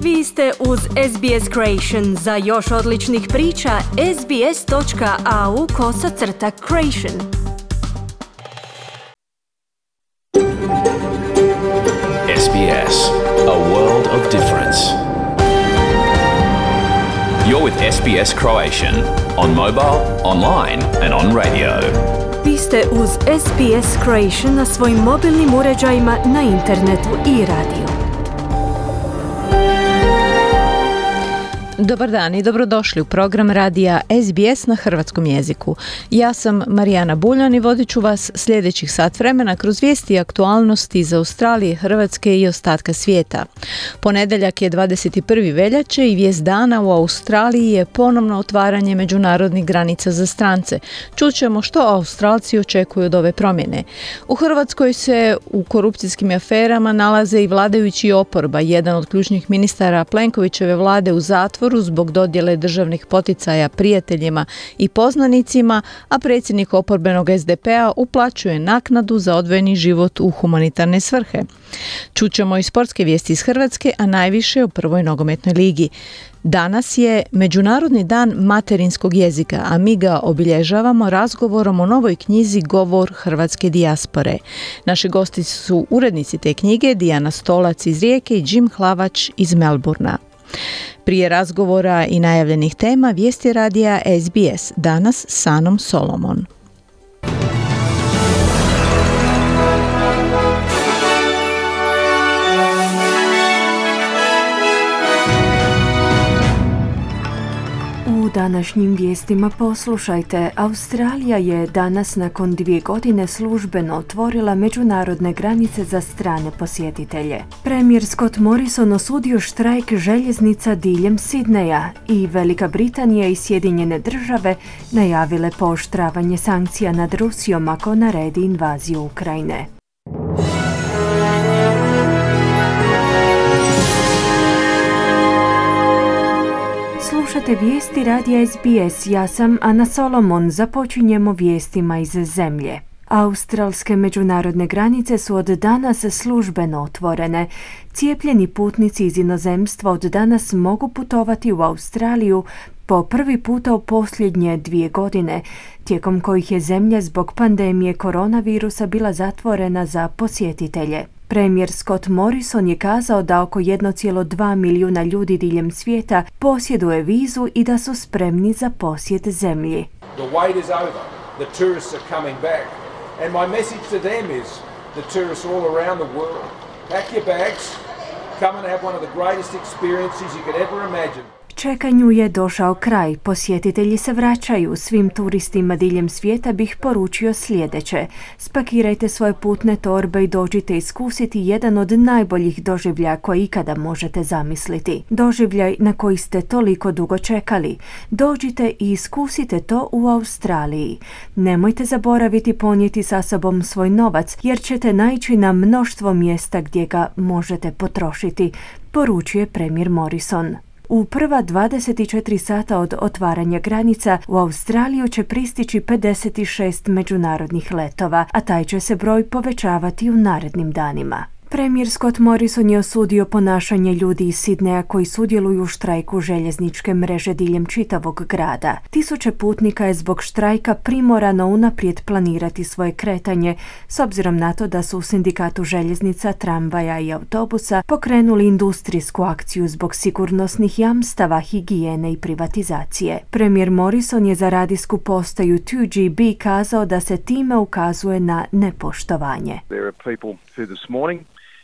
Vi ste uz SBS Creation. Za još odličnih priča, sbs.au/creation. SBS, a world of difference. You're with SBS Croatian on mobile, online and on radio. Vi ste uz SBS Creation na svojim mobilnim uređajima, na internetu i radiju. Dobar dan i dobrodošli u program radija SBS na hrvatskom jeziku. Ja sam Marijana Buljan i vodit ću vas sljedećih sat vremena kroz vijesti i aktualnosti iz Australije, Hrvatske i ostatka svijeta. Ponedjeljak je 21. veljače i vijest dana u Australiji je ponovno otvaranje međunarodnih granica za strance. Čućemo što Australci očekuju od ove promjene. U Hrvatskoj se u korupcijskim aferama nalaze i vladajući i oporba. Jedan od ključnih ministara Plenkovićeve vlade u zatvoru zbog dodjele državnih poticaja prijateljima i poznanicima, a predsjednik oporbenog SDP-a uplaćuje naknadu za odvojeni život u humanitarne svrhe. Čućemo i sportske vijesti iz Hrvatske, a najviše o prvoj nogometnoj ligi. Danas je Međunarodni dan materinskog jezika, a mi ga obilježavamo razgovorom o novoj knjizi Govor hrvatske dijaspore. Naši gosti su urednici te knjige, Dijana Stolac iz Rijeke i Jim Hlavač iz Melbourna. Prije razgovora i najavljenih tema, vijesti radija SBS, danas s Anom Solomon. U današnjim vijestima poslušajte. Australija je danas nakon 2 godine službeno otvorila međunarodne granice za strane posjetitelje. Premijer Scott Morrison osudio štrajk željeznica diljem Sidneja i Velika Britanija i Sjedinjene države najavile pooštravanje sankcija nad Rusijom ako naredi invaziju Ukrajine. Slušate vijesti radija SBS, ja sam Ana Solomon, započinjemo vijestima iz zemlje. Australske međunarodne granice su od danas službeno otvorene. Cijepljeni putnici iz inozemstva od danas mogu putovati u Australiju po prvi puta u posljednje 2 godine, tijekom kojih je zemlja zbog pandemije koronavirusa bila zatvorena za posjetitelje. Premijer Scott Morrison je kazao da oko 1,2 milijuna ljudi diljem svijeta posjeduje vizu i da su spremni za posjet zemlji. The wait is over. The tourists are coming back. And my message to them is, the tourists all around the world, pack your bags, come and have one of the greatest experiences you could ever imagine. Čekanju je došao kraj. Posjetitelji se vraćaju. Svim turistima diljem svijeta bih poručio sljedeće. Spakirajte svoje putne torbe i dođite iskusiti jedan od najboljih doživljaja koje ikada možete zamisliti. Doživljaj na koji ste toliko dugo čekali. Dođite i iskusite to u Australiji. Nemojte zaboraviti ponijeti sa sobom svoj novac, jer ćete naići na mnoštvo mjesta gdje ga možete potrošiti, poručuje premijer Morrison. U prva 24 sata od otvaranja granica u Australiju će pristići 56 međunarodnih letova, a taj će se broj povećavati u narednim danima. Premijer Scott Morrison je osudio ponašanje ljudi iz Sidneja koji sudjeluju u štrajku željezničke mreže diljem čitavog grada. Tisuće putnika je zbog štrajka primorano unaprijed planirati svoje kretanje, s obzirom na to da su u sindikatu željeznica, tramvaja i autobusa pokrenuli industrijsku akciju zbog sigurnosnih jamstava, higijene i privatizacije. Premijer Morrison je za radijsku postaju 2GB kazao da se time ukazuje na nepoštovanje. There are people who this morning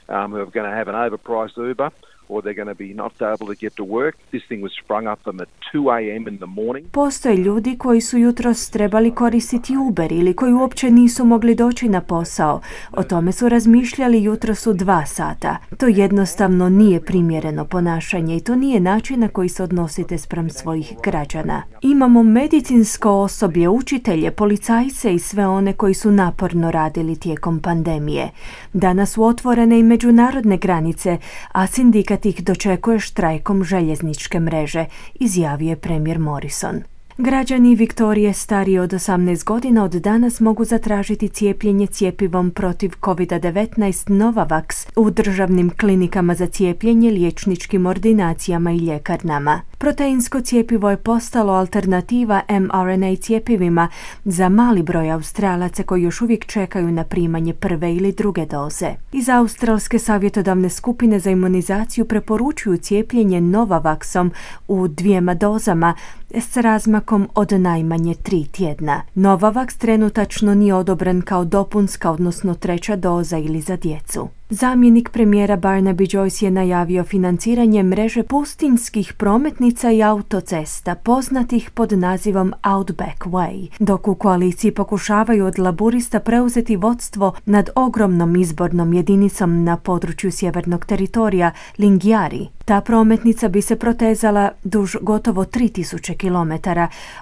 who are going to have an overpriced Uber, or they're going to be not able to get to work. This thing was sprung up them at 2 a.m. in the morning. Postoje ljudi koji su jutros trebali koristiti Uber ili koji uopće nisu mogli doći na posao. O tome su razmišljali jutros u 2 sata. To jednostavno nije primjereno ponašanje i to nije način na koji se odnosite spram svojih građana. Imamo medicinsko osoblje, učitelje, policajce i sve one koji su naporno radili tijekom pandemije. Danas su otvorene i međunarodne granice, a sindikat ih dočekuje štrajkom željezničke mreže, izjavio je premijer Morrison. Građani Viktorije stariji od 18 godina od danas mogu zatražiti cijepljenje cjepivom protiv COVID-19 Novavax u državnim klinikama za cijepljenje, liječničkim ordinacijama i ljekarnama. Proteinsko cjepivo je postalo alternativa mRNA cjepivima za mali broj Australaca koji još uvijek čekaju na primanje prve ili druge doze. Iz Australske savjetodavne skupine za imunizaciju preporučuju cijepljenje Novavaxom u 2 dozama s razmakom od najmanje 3 tjedna. Novavax trenutačno nije odobren kao dopunska, odnosno 3. doza ili za djecu. Zamjenik premijera Barnaby Joyce je najavio financiranje mreže pustinjskih prometnica i autocesta, poznatih pod nazivom Outback Way, dok u koaliciji pokušavaju od laburista preuzeti vodstvo nad ogromnom izbornom jedinicom na području sjevernog teritorija Lingiari. Ta prometnica bi se protezala duž gotovo 3000 km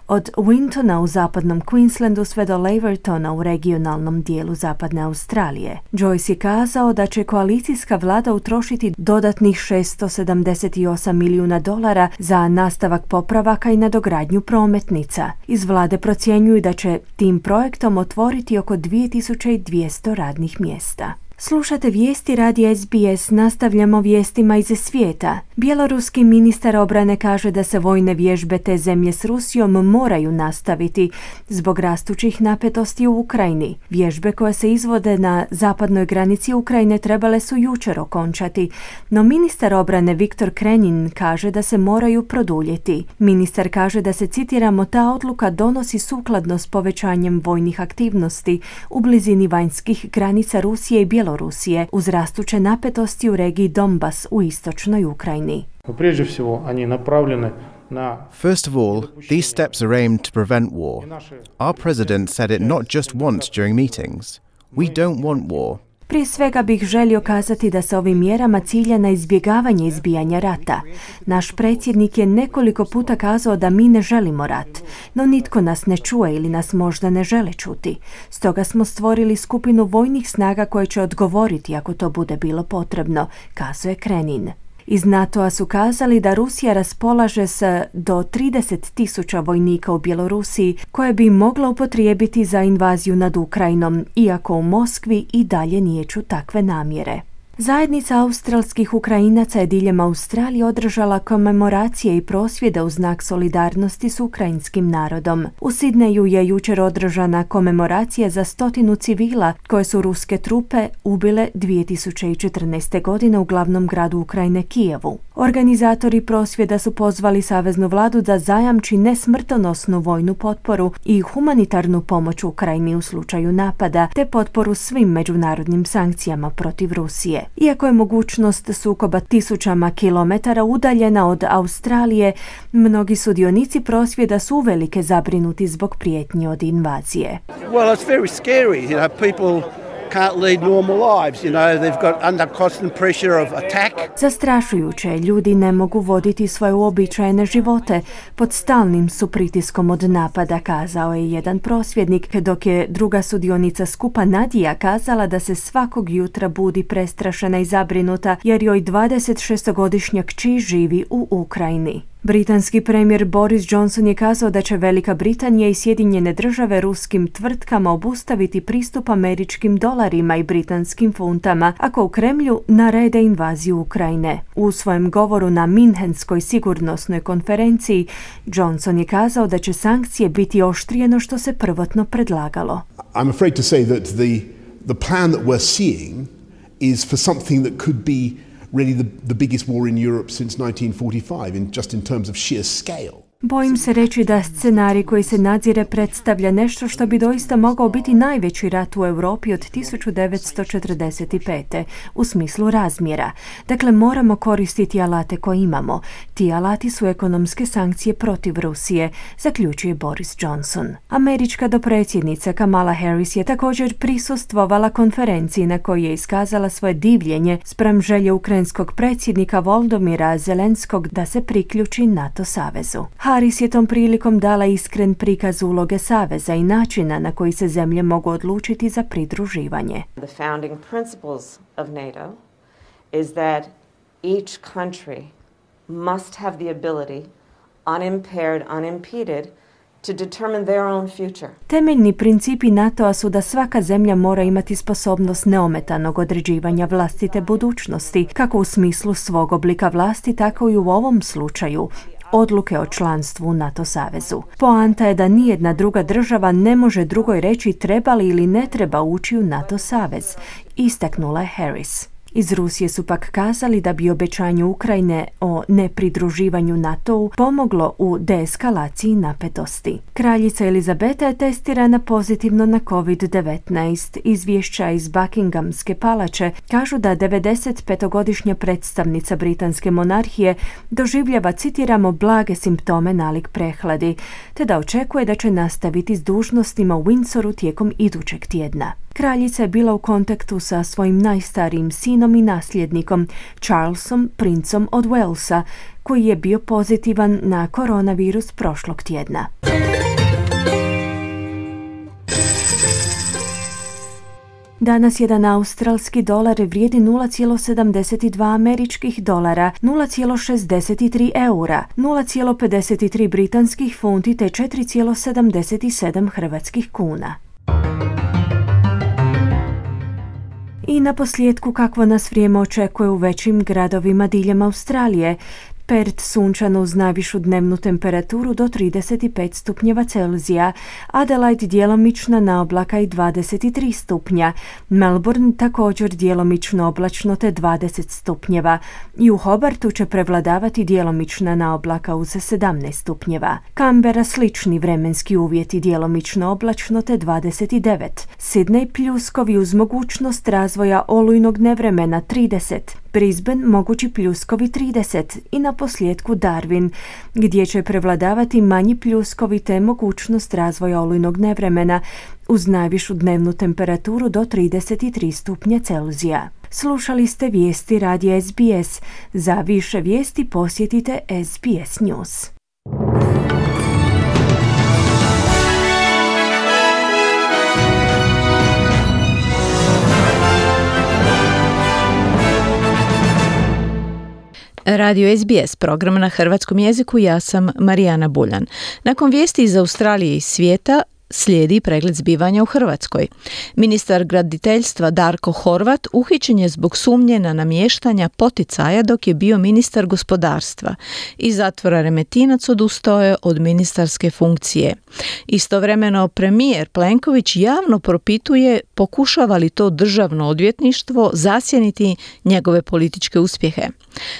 od Wintona u zapadnom Queenslandu sve do Lavertona u regionalnom dijelu zapadne Australije. Joyce je kazao da će koalicijska vlada utrošiti dodatnih $678 milijuna za nastavak popravaka i nadogradnju prometnica. Iz vlade procjenjuju da će tim projektom otvoriti oko 2200 radnih mjesta. Slušate vijesti radija SBS, nastavljamo vijestima iz svijeta. Bjeloruski ministar obrane kaže da se vojne vježbe te zemlje s Rusijom moraju nastaviti zbog rastućih napetosti u Ukrajini. Vježbe koje se izvode na zapadnoj granici Ukrajine trebale su jučer okončati, no ministar obrane Viktor Krenin kaže da se moraju produljiti. Ministar kaže da se, citiramo, ta odluka donosi sukladno s povećanjem vojnih aktivnosti u blizini vanjskih granica Rusije i Bjelorusije uz rastuće napetosti u regiji Donbas u istočnoj Ukrajini. First of all, these steps are aimed to prevent war. Our president said it not just once during meetings. We don't want war. Prije svega bih želio kazati da se ovim mjerama cilja na izbjegavanje izbijanja rata. Naš predsjednik je nekoliko puta kazao da mi ne želimo rat, no nitko nas ne čuje ili nas možda ne žele čuti. Stoga smo stvorili skupinu vojnih snaga koje će odgovoriti ako to bude bilo potrebno, kazuje Krenin. Iz NATO-a su kazali da Rusija raspolaže s do 30.000 vojnika u Bjelorusiji koje bi mogla upotrijebiti za invaziju nad Ukrajinom, iako u Moskvi i dalje niječu takve namjere. Zajednica australskih Ukrajinaca je diljem Australije održala komemoracije i prosvjede u znak solidarnosti s ukrajinskim narodom. U Sidneju je jučer održana komemoracija za 100 civila koje su ruske trupe ubile 2014. godine u glavnom gradu Ukrajine Kijevu. Organizatori prosvjeda su pozvali saveznu vladu da zajamči nesmrtonosnu vojnu potporu i humanitarnu pomoć Ukrajini u slučaju napada, te potporu svim međunarodnim sankcijama protiv Rusije. Iako je mogućnost sukoba tisućama kilometara udaljena od Australije, mnogi sudionici prosvjeda su uvelike zabrinuti zbog prijetnji od invazije. Well, it's very scary, you know, people can't lead normal lives, you know, they've got under constant pressure of attack. Zastrašujuće, ljudi ne mogu voditi svoje uobičajene živote, pod stalnim su pritiskom od napada, kazao je jedan prosvjednik, dok je druga sudionica skupa Nadija kazala da se svakog jutra budi prestrašena i zabrinuta jer joj 26-godišnja kći živi u Ukrajini. Britanski premijer Boris Johnson je kazao da će Velika Britanija i Sjedinjene Države ruskim tvrtkama obustaviti pristup američkim dolarima i britanskim funtama ako u Kremlju narede invaziju Ukrajine. U svojem govoru na Minhenskoj sigurnosnoj konferenciji Johnson je kazao da će sankcije biti oštrije no što se prvotno predlagalo. I'm afraid to say that the plan that we're seeing is for something that could be really the biggest war in Europe since 1945 in terms of sheer scale. Bojim se reći da scenarij koji se nadzire predstavlja nešto što bi doista mogao biti najveći rat u Europi od 1945. u smislu razmjera. Dakle, moramo koristiti alate koje imamo. Ti alati su ekonomske sankcije protiv Rusije, zaključuje Boris Johnson. Američka dopredsjednica Kamala Harris je također prisustvovala konferenciji na kojoj je iskazala svoje divljenje spram želje ukrajinskog predsjednika Volodymyra Zelenskog da se priključi NATO savezu. Harris je tom prilikom dala iskren prikaz uloge saveza i načina na koji se zemlje mogu odlučiti za pridruživanje. The founding principles of NATO is that each country must have the ability, unimpaired, unimpeded, to determine their own future. Temeljni principi NATO-a su da svaka zemlja mora imati sposobnost neometanog određivanja vlastite budućnosti, kako u smislu svog oblika vlasti, tako i u ovom slučaju odluke o članstvu u NATO savezu. Poanta je da nijedna druga država ne može drugoj reći treba li ili ne treba ući u NATO savez, istaknula je Harris. Iz Rusije su pak kazali da bi obećanje Ukrajine o nepridruživanju NATO-u pomoglo u deeskalaciji napetosti. Kraljica Elizabeta je testirana pozitivno na COVID-19. Izvješća iz Buckinghamske palače kažu da 95-godišnja predstavnica britanske monarhije doživljava, citiramo, blage simptome nalik prehladi, te da očekuje da će nastaviti s dužnostima u Windsoru tijekom idućeg tjedna. Kraljica je bila u kontaktu sa svojim najstarijim sinom i nasljednikom, Charlesom, princom od Walesa, koji je bio pozitivan na koronavirus prošlog tjedna. Danas jedan australski dolar vrijedi 0,72 američkih dolara, 0,63 eura, 0,53 britanskih funti te 4,77 hrvatskih kuna. I na posljedku kakvo nas vrijeme očekuje u većim gradovima diljem Australije. Perth sunčano uz najvišu dnevnu temperaturu do 35 stupnjeva Celzija, Adelaide djelomična na oblaka i 23 stupnja, Melbourne također djelomično oblačno te 20 stupnjeva i u Hobartu će prevladavati djelomična na oblaka uz 17 stupnjeva. Canberra slični vremenski uvjeti djelomično oblačno te 29, Sydney pljuskovi uz mogućnost razvoja olujnog nevremena 30, Brisbane mogući pljuskovi 30 i na posljedku Darwin, gdje će prevladavati manji pljuskovi te mogućnost razvoja olujnog nevremena uz najvišu dnevnu temperaturu do 33 stupnja Celzija. Slušali ste vijesti radija SBS. Za više vijesti posjetite SBS News. Radio SBS, program na hrvatskom jeziku, ja sam Marijana Buljan. Nakon vijesti iz Australije i svijeta slijedi pregled zbivanja u Hrvatskoj. Ministar graditeljstva Darko Horvat uhićen je zbog sumnje na namještanja poticaja dok je bio ministar gospodarstva. Iz zatvora Remetinac odustao je od ministarske funkcije. Istovremeno premijer Plenković javno propituje pokušava li to državno odvjetništvo zasjeniti njegove političke uspjehe.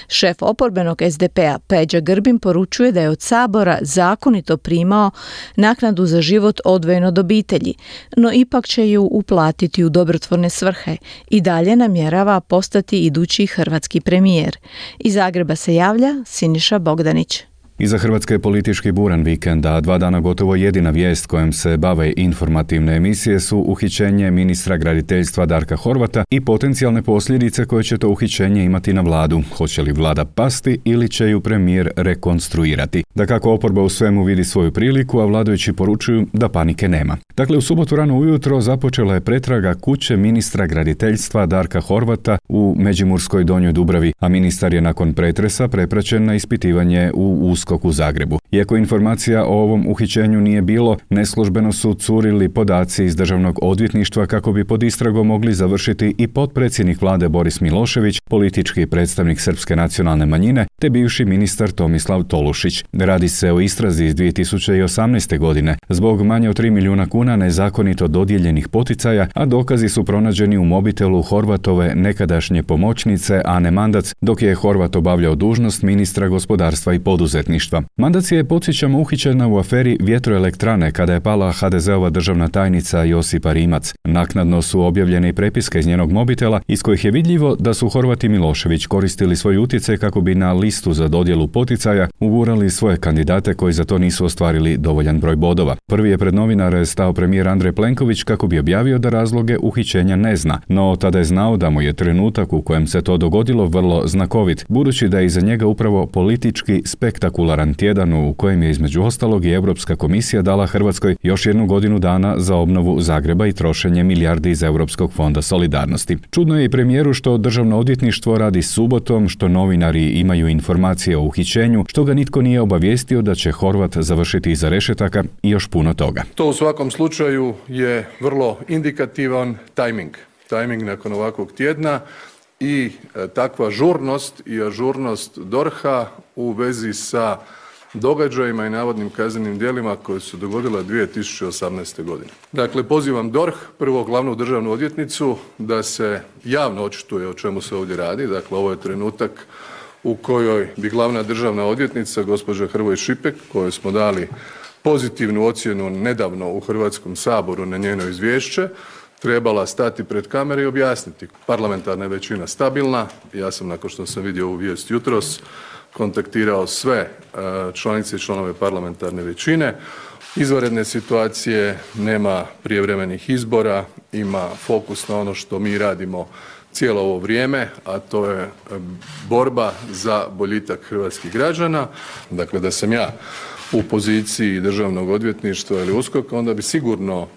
Šef oporbenog SDP-a Peđa Grbin poručuje da je od Sabora zakonito primao naknadu za život odvojeno od obitelji, no ipak će ju uplatiti u dobrotvorne svrhe i dalje namjerava postati idući hrvatski premijer. Iz Zagreba se javlja Siniša Bogdanić. Iza Hrvatske je politički buran vikend, a 2 dana gotovo jedina vijest kojom se bave informativne emisije su uhićenje ministra graditeljstva Darka Horvata i potencijalne posljedice koje će to uhićenje imati na vladu. Hoće li vlada pasti ili će ju premijer rekonstruirati? Dakako, oporba u svemu vidi svoju priliku, a vladajući poručuju da panike nema. Dakle, u subotu rano ujutro započela je pretraga kuće ministra graditeljstva Darka Horvata u Međimurskoj Donjoj Dubravi, a ministar je nakon pretresa prepraćen na ispitivanje u USKOK u Zagrebu. Iako informacija o ovom uhićenju nije bilo, neslužbeno su curili podaci iz Državnog odvjetništva kako bi pod istragom mogli završiti i potpredsjednik vlade Boris Milošević, politički predstavnik srpske nacionalne manjine, te bivši ministar Tomislav Tolušić. Radi se o istrazi iz 2018. godine zbog manje od 3 milijuna kuna nezakonito dodijeljenih poticaja, a dokazi su pronađeni u mobitelu Horvatove nekadašnje pomoćnice Ane Mandac, dok je Horvat obavljao dužnost ministra gospodarstva i poduzetništva. Mandac je, podsjećamo, uhićena u aferi vjetroelektrane kada je pala HDZ-ova državna tajnica Josipa Rimac. Naknadno su objavljene i prepiske iz njenog mobitela iz kojih je vidljivo da su Horvat i Milošević koristili svoj utjecaj kako bi na listu za dodjelu poticaja ugurali svoje kandidate koji za to nisu ostvarili dovoljan broj bodova. Prvi je pred novinare stao premijer Andrej Plenković kako bi objavio da razloge uhićenja ne zna, no tada je znao da mu je trenutak u kojem se to dogodilo vrlo znakovit, budući da je iza njega upravo politički spektakularni spektakularan tjedan u kojem je između ostalog i Europska komisija dala Hrvatskoj još 1 godinu dana za obnovu Zagreba i trošenje milijardi iz Europskog fonda solidarnosti. Čudno je i premijeru što Državno odvjetništvo radi subotom, što novinari imaju informacije o uhićenju, što ga nitko nije obavijestio da će Horvat završiti iza rešetaka i još puno toga. To u svakom slučaju je vrlo indikativan tajming nakon ovakvog tjedna i takva žurnost i ažurnost DORH-a u vezi sa događajima i navodnim kaznenim djelima koje su dogodila 2018. godine. Dakle, pozivam DORH, prvo glavnu državnu odvjetnicu, da se javno očituje o čemu se ovdje radi. Dakle, ovo je trenutak u kojoj bi glavna državna odvjetnica, gospođa Hrvoj Šipek, kojoj smo dali pozitivnu ocjenu nedavno u Hrvatskom saboru na njeno izvješće, trebala stati pred kamere i objasniti. Parlamentarna je većina stabilna. Ja sam, nakon što sam vidio ovu vijest jutros, kontaktirao sve članice i članove parlamentarne većine. Izvanredne situacije, nema prijevremenih izbora, ima fokus na ono što mi radimo cijelo ovo vrijeme, a to je borba za boljitak hrvatskih građana. Dakle, da sam ja u poziciji Državnog odvjetništva ili USKOK-a, onda bi sigurno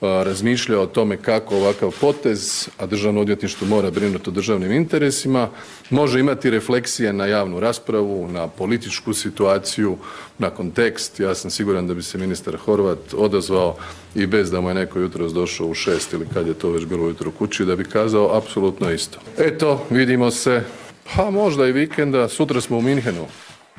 razmišljao o tome kako ovakav potez, a Državno odvjetništvo mora brinuti o državnim interesima, može imati refleksije na javnu raspravu, na političku situaciju, na kontekst. Ja sam siguran da bi se ministar Horvat odazvao i bez da mu je neko jutros došao u 6 ili kad je to već bilo ujutro kući, da bi kazao apsolutno isto. Eto, vidimo se, pa možda i vikenda, sutra smo u Minhenu.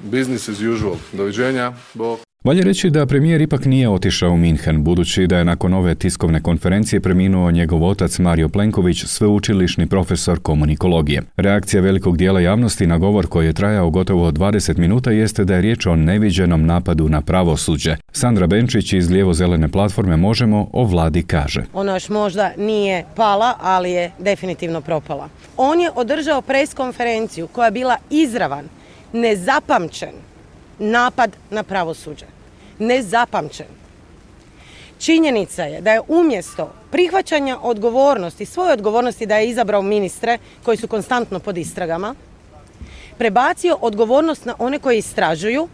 Business as usual. Doviđenja. Bog. Valja reći da premijer ipak nije otišao u Minhen, budući da je nakon ove tiskovne konferencije preminuo njegov otac Mario Plenković, sveučilišni profesor komunikologije. Reakcija velikog dijela javnosti na govor koji je trajao gotovo 20 minuta jeste da je riječ o neviđenom napadu na pravosuđe. Sandra Benčić iz lijevo-zelene platforme Možemo o vladi kaže. Ona još možda nije pala, ali je definitivno propala. On je održao preskonferenciju koja je bila izravan, nezapamćen napad na pravosuđe. Nezapamćen. Činjenica je da je umjesto prihvaćanja odgovornosti, svoje odgovornosti da je izabrao ministre koji su konstantno pod istragama, prebacio odgovornost na one koji istražuju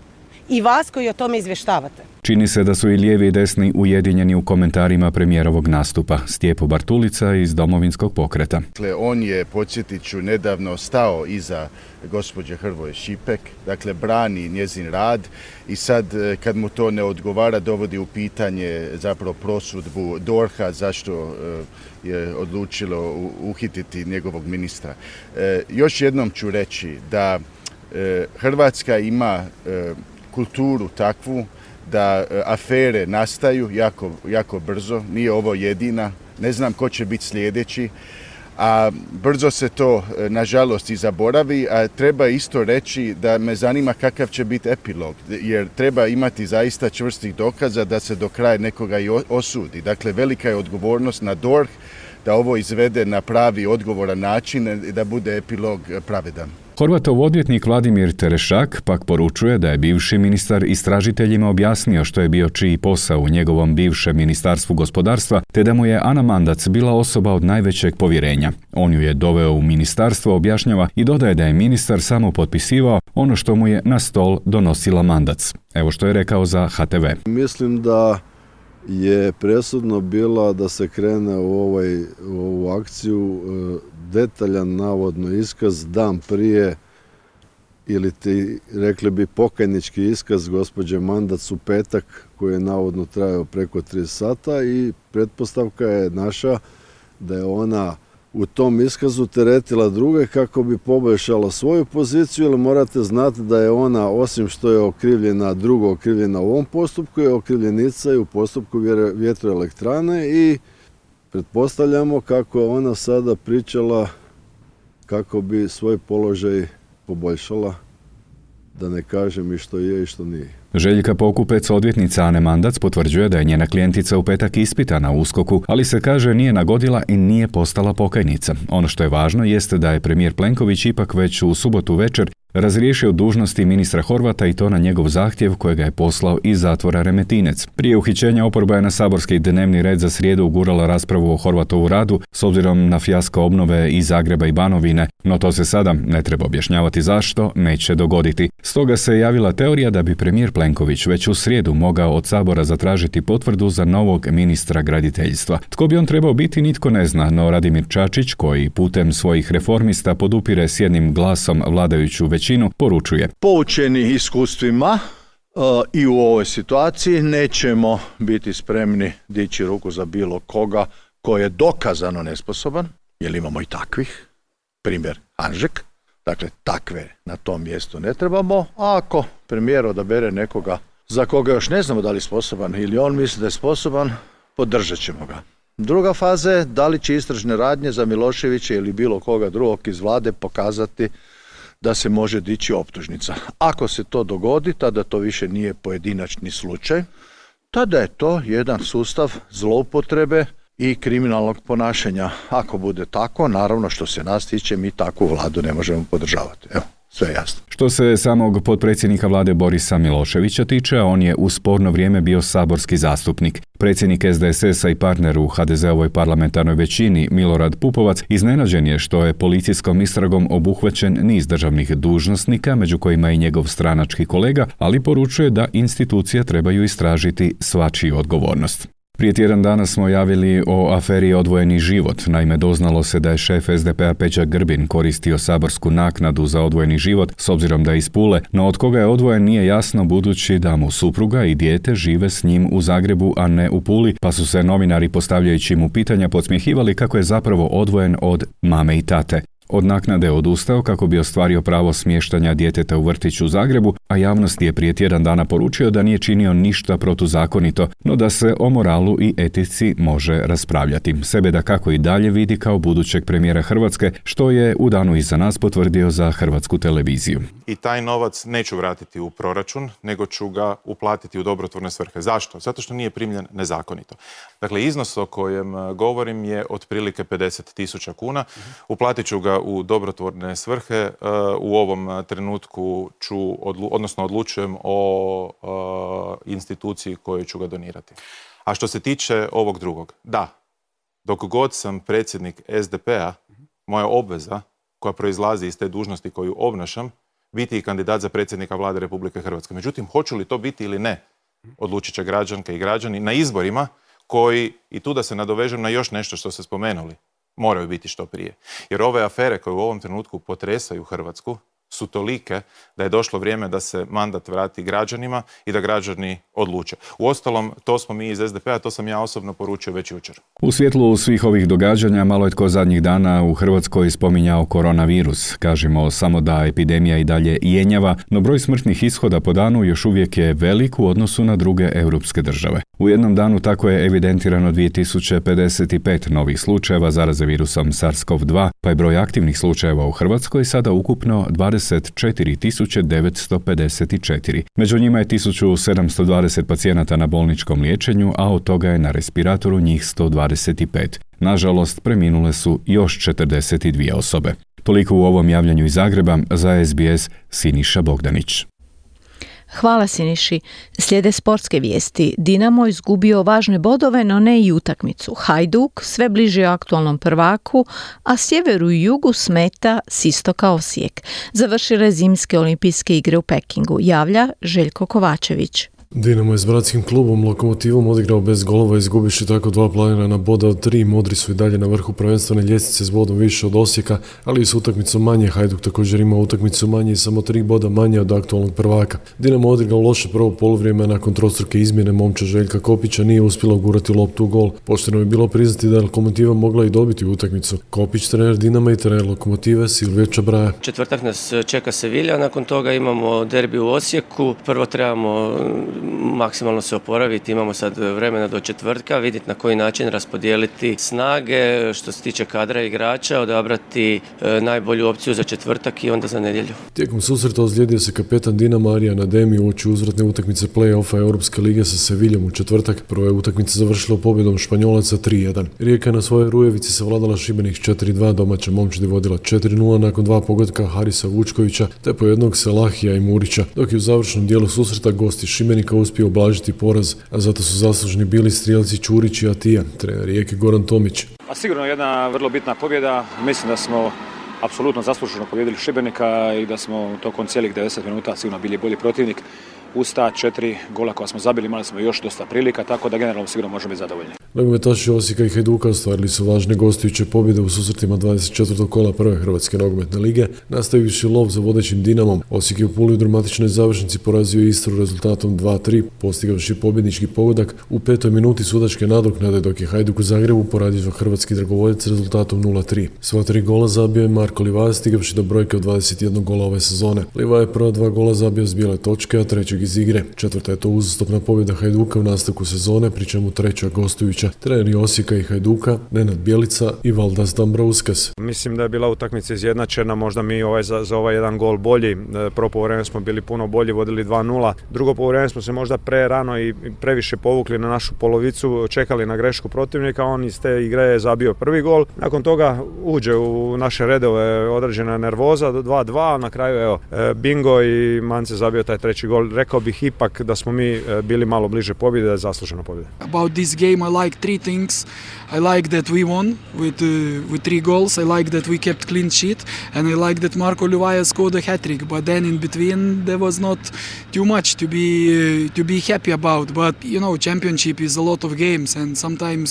i vas koji o tome izvještavate. Čini se da su i lijevi i desni ujedinjeni u komentarima premijerovog nastupa. Stjepo Bartulica iz Domovinskog pokreta. Dakle, on je, podsjetit ću, nedavno stao iza gospođe Hrvoje Šipek, dakle brani njezin rad i sad kad mu to ne odgovara dovodi u pitanje zapravo prosudbu DORH-a zašto je odlučilo uhititi njegovog ministra. Još jednom ću reći da Hrvatska ima kulturu takvu da afere nastaju jako brzo, nije ovo jedina, ne znam ko će biti sljedeći, a brzo se to nažalost i zaboravi, a treba isto reći da me zanima kakav će biti epilog, jer treba imati zaista čvrstih dokaza da se do kraja nekoga i osudi. Dakle, velika je odgovornost na DORH da ovo izvede na pravi odgovoran način i da bude epilog pravedan. Horvatov odvjetnik Vladimir Terešak pak poručuje da je bivši ministar istražiteljima objasnio što je bio čiji posao u njegovom bivšem ministarstvu gospodarstva, te da mu je Ana Mandac bila osoba od najvećeg povjerenja. On ju je doveo u ministarstvo, objašnjava, i dodaje da je ministar samo potpisivao ono što mu je na stol donosila Mandac. Evo što je rekao za HTV. Mislim da je presudno bila da se krene u ovu akciju detaljan navodno iskaz dan prije ili ti rekli bi pokajnički iskaz gospođe Mandac u petak koji je navodno trajao preko 3 sata i pretpostavka je naša da je ona u tom iskazu teretila druge kako bi poboljšala svoju poziciju, jer morate znati da je ona, osim što je okrivljena u ovom postupku, je okrivljenica i u postupku vjetroelektrane i pretpostavljamo kako je ona sada pričala kako bi svoj položaj poboljšala, da ne kažem i što je i što nije. Željka Pokupec, odvjetnica Ane Mandac, potvrđuje da je njena klijentica u petak ispitana u USKOK-u, ali se kaže nije nagodila i nije postala pokajnica. Ono što je važno jeste da je premijer Plenković ipak već u subotu večer razriješio dužnosti ministra Horvata i to na njegov zahtjev kojega je poslao iz zatvora Remetinec. Prije uhićenja oporba je na saborski dnevni red za srijedu ugurala raspravu o Horvatovu radu s obzirom na fijasko obnove i Zagreba i Banovine, no to se sada, ne treba objašnjavati zašto, neće dogoditi. Stoga se javila teorija da bi premijer Plenković već u srijedu mogao od Sabora zatražiti potvrdu za novog ministra graditeljstva. Tko bi on trebao biti, nitko ne zna, no Radimir Čačić, koji putem svojih reformista podupire s jednim glasom vladajuću većinu, poručuje: poučeni iskustvima i u ovoj situaciji nećemo biti spremni dići ruku za bilo koga ko je dokazano nesposoban, jer imamo i takvih, primjer Hanžek, dakle takve na tom mjestu ne trebamo, a ako premijer odabere nekoga za koga još ne znamo da li je sposoban ili on misli da je sposoban, podržat ćemo ga. Druga faza je da li će istražne radnje za Miloševića ili bilo koga drugog iz vlade pokazati da se može dići optužnica. Ako se to dogodi, tada to više nije pojedinačni slučaj, tada je to jedan sustav zloupotrebe i kriminalnog ponašanja. Ako bude tako, naravno što se nas tiče, mi takvu vladu ne možemo podržavati. Evo, sve jasno. Što se samog potpredsjednika vlade Borisa Miloševića tiče, on je u sporno vrijeme bio saborski zastupnik. Predsjednik SDSS-a i partner u HDZ-ovoj parlamentarnoj većini Milorad Pupovac iznenađen je što je policijskom istragom obuhvaćen niz državnih dužnosnika, među kojima i njegov stranački kolega, ali poručuje da institucije trebaju istražiti svačiju odgovornost. Prije tjedan dana smo javili o aferi Odvojeni život. Naime, doznalo se da je šef SDP-a Peđa Grbin koristio saborsku naknadu za odvojeni život s obzirom da je iz Pule, no od koga je odvojen nije jasno budući da mu supruga i dijete žive s njim u Zagrebu, a ne u Puli, pa su se novinari postavljajući mu pitanja podsmjehivali kako je zapravo odvojen od mame i tate. Od naknade odustao kako bi ostvario pravo smještanja djeteta u vrtić u Zagrebu, a javnost je prije tjedan dana poručio da nije činio ništa protuzakonito, no da se o moralu i etici može raspravljati. Sebe da kako i dalje vidi kao budućeg premijera Hrvatske, što je u danu iza nas potvrdio za Hrvatsku televiziju. I taj novac neću vratiti u proračun, nego ću ga uplatiti u dobrotvorne svrhe. Zašto? Zato što nije primljen nezakonito. Dakle, iznos o kojem govorim je otprilike 50.000 kuna. Uplatit ću ga u dobrotvorne svrhe. U ovom trenutku odlučujem o instituciji kojoj ću ga donirati. A što se tiče ovog drugog, da, dok god sam predsjednik SDP-a, moja obveza koja proizlazi iz te dužnosti koju obnašam, biti i kandidat za predsjednika Vlade Republike Hrvatske. Međutim, hoću li to biti ili ne, odlučit će građanke i građani na izborima koji, i tu da se nadovežem na još nešto što ste spomenuli, moraju biti što prije. Jer ove afere koje u ovom trenutku potresaju Hrvatsku su tolike da je došlo vrijeme da se mandat vrati građanima i da građani odluče. Uostalom, to smo mi iz SDP-a, to sam ja osobno poručio već jučer. U svjetlu svih ovih događanja malo je tko zadnjih dana u Hrvatskoj spominjao koronavirus. Kažemo samo da epidemija i dalje jenjava, no broj smrtnih ishoda po danu još uvijek je velik u odnosu na druge europske države. U jednom danu tako je evidentirano 2055 novih slučajeva zaraze virusom SARS-CoV-2, pa je broj aktivnih slučajeva u Hrvatskoj sada ukupno 24.954. Među njima je 1720 pacijenata na bolničkom liječenju, a od toga je na respiratoru njih 125. Nažalost, preminule su još 42 osobe. Toliko u ovom javljanju iz Zagreba, za SBS Siniša Bogdanić. Hvala Siniši. Slijede sportske vijesti. Dinamo izgubio važne bodove, no ne i utakmicu. Hajduk sve bliže aktualnom prvaku, a sjeveru i jugu smeta s istoka Osijek. Završile zimske olimpijske igre u Pekingu. Javlja Željko Kovačević. Dinamo je s bratskim klubom Lokomotivom odigrao bez golova, izgubiši tako 2 planirana boda od 3. Modri su i dalje na vrhu prvenstvene ljestvice s bodom više od Osijeka, ali i s utakmicom manje. Hajduk također ima utakmicu manje i samo 3 boda manje od aktualnog prvaka. Dinamo odigrao loše prvo poluvrijeme, nakon trostruke izmjene momča Željka Kopića nije uspjela ugurati loptu u gol. Pošteno je bilo priznati da je Lokomotiva mogla i dobiti utakmicu. Kopić, trener Dinama i trener Lokomotive Silvije Čabraja. Četvrtak nas čeka Sevilja, nakon toga imamo derbi u Osijeku. Prvo trebamo maksimalno se oporaviti. Imamo sad vremena do četvrtka, vidjeti na koji način raspodijeliti snage, što se tiče kadra igrača, odabrati najbolju opciju za četvrtak i onda za nedjelju. Tijekom susreta ozlijedio se kapetan Dinama Arjan Ademi uoči uzvratne utakmice play-offa Europske lige sa Seviljom u četvrtak. Prva je utakmica završila pobjedom Španjolaca 3-1. Rijeka je na svojoj Rujevici savladala Šibenik 4-2, domaća momčad je vodila 4-0 nakon 2 pogotka Harisa Vučkovića te po jednog Selahija i Murića, dok je u završnom dijelu susreta gosti Šibenika uspio ublažiti poraz, a zato su zaslužni bili strijelci Ćurić i Atija, trener Rijeke Goran Tomić. A sigurno jedna vrlo bitna pobjeda. Mislim da smo apsolutno zasluženo pobjedili Šibenika i da smo tokom cijelih 90 minuta sigurno bili bolji protivnik. Uz ta 4 gola koja smo zabili imali smo još dosta prilika, tako da generalno sigurno možemo biti zadovoljni. Nogometaši Osijeka i Hajduka ostvarili su važne gostujuće pobjede u susretima 24. kola prve Hrvatske nogometne lige, nastavivši lov za vodećim Dinamom. Osijek je u Puli u dramatičnoj završnici porazio Istru rezultatom 2-3, postigavši pobjednički pogodak u 5. minuti sudačke nadoknade, dok je Hajduk u Zagrebu poradio hrvatski dragovoljac rezultatom 0-3. Sva 3 gola zabio je Marko Livaja, stigavši do brojke od 21 gola ove sezone. Livaja je prva 2 gola zabio s bijele točke, a trećeg iz igre. Četvrta je to uzastopna pobjeda Hajduka u nastavku sezone, pri čemu treća gostujuća. Treneri Osijeka i Hajduka, Nenad Bjelica i Valdas Dambrauskas. Mislim da je bila utakmica izjednačena, možda mi za ovaj jedan gol bolji. Prvo poluvreme smo bili puno bolji, vodili 2-0. Drugo poluvreme smo se možda prerano i previše povukli na našu polovicu, čekali na grešku protivnika, on iz te igre je zabio prvi gol. Nakon toga uđe u naše redove određena nervoza, 2-2, na kraju bingo i Mance zabio taj treći gol. Rekao bih ipak da smo mi bili malo bliže pobjede, da je zaslužena pobjeda. About this game I like 3 things. I like that we won with 3 goals. I like that we kept clean sheet, and I like that Marko Livaja scored a hat-trick. But then in between there was not too much to be happy about. But you know, championship is a lot of games, and sometimes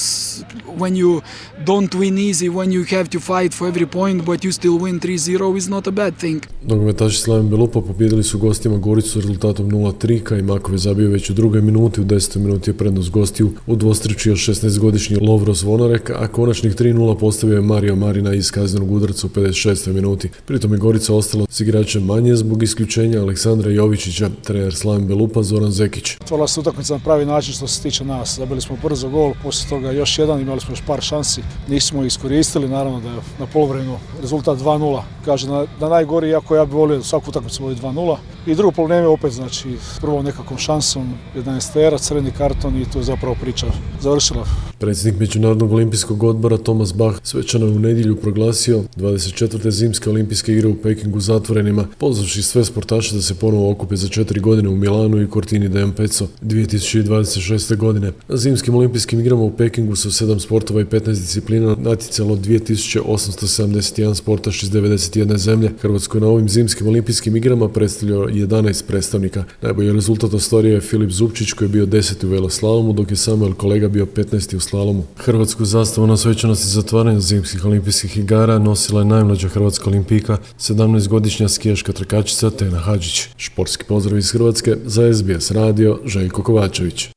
when you don't win easy, when you have to fight for every point, but you still win 3-0 is not a bad thing. Nogometaši Slaven Belupa pobjedili su gostima Goricu rezultatom 0-3, Kajmakov je zabio već u 2. minuti, u 10. minuti je prednost gostiju udvostručio 16-godišnji Lovro Zvonarek, a konačnih 3-0 postavio je Mario Marina iz kaznenog udarca u 56. minuti. Pritom je Gorica ostala s igračem manje zbog isključenja Aleksandra Jovičića, trener Slaven Belupa Zoran Zekić. Otvorila se utakmica na pravi način što se tiče nas. Zabili smo brzo gol, poslije toga još jedan, imali smo još par šansi, nismo iskoristili, naravno da je na poluvremenu rezultat 2-0. Kaže da najgori, iako ja bih volio svaku utakmicu vodi 2-0. I drugo poluvreme opet, znači prvo nekakvom šansom, 11-tera, crveni karton i tu je zapravo priča završila. Predsjednik Međunarodnog olimpijskog odbora Thomas Bach svečano je u nedjelju proglasio 24. zimske olimpijske igre u Pekingu zatvorenima, pozvavši sve sportaše da se ponovo okupe za 4 godine u Milanu i Cortini d'Ampezzo 2026. godine. Na zimskim olimpijskim igrama u Pekingu su 7 sportova i 15 disciplina natjecalo 2871 sportaš iz 91 zemlje. Hrvatsko na ovim zimskim olimpijskim igrama predstavljao 11 predstavnika. Najbolji rezultat ostvario je Filip Zupčić koji je bio 10. u veloslalomu, dok je Samuel Kolega bio 15. u slalomu. Hrvatsku zastavu na svečanosti zatvaranja zimskih olimpijskih igara nosila je najmlađa hrvatska olimpijka, 17-godišnja skijaška trkačica Tena Hadžić. Športski pozdrav iz Hrvatske za SBS radio, Željko Kovačević.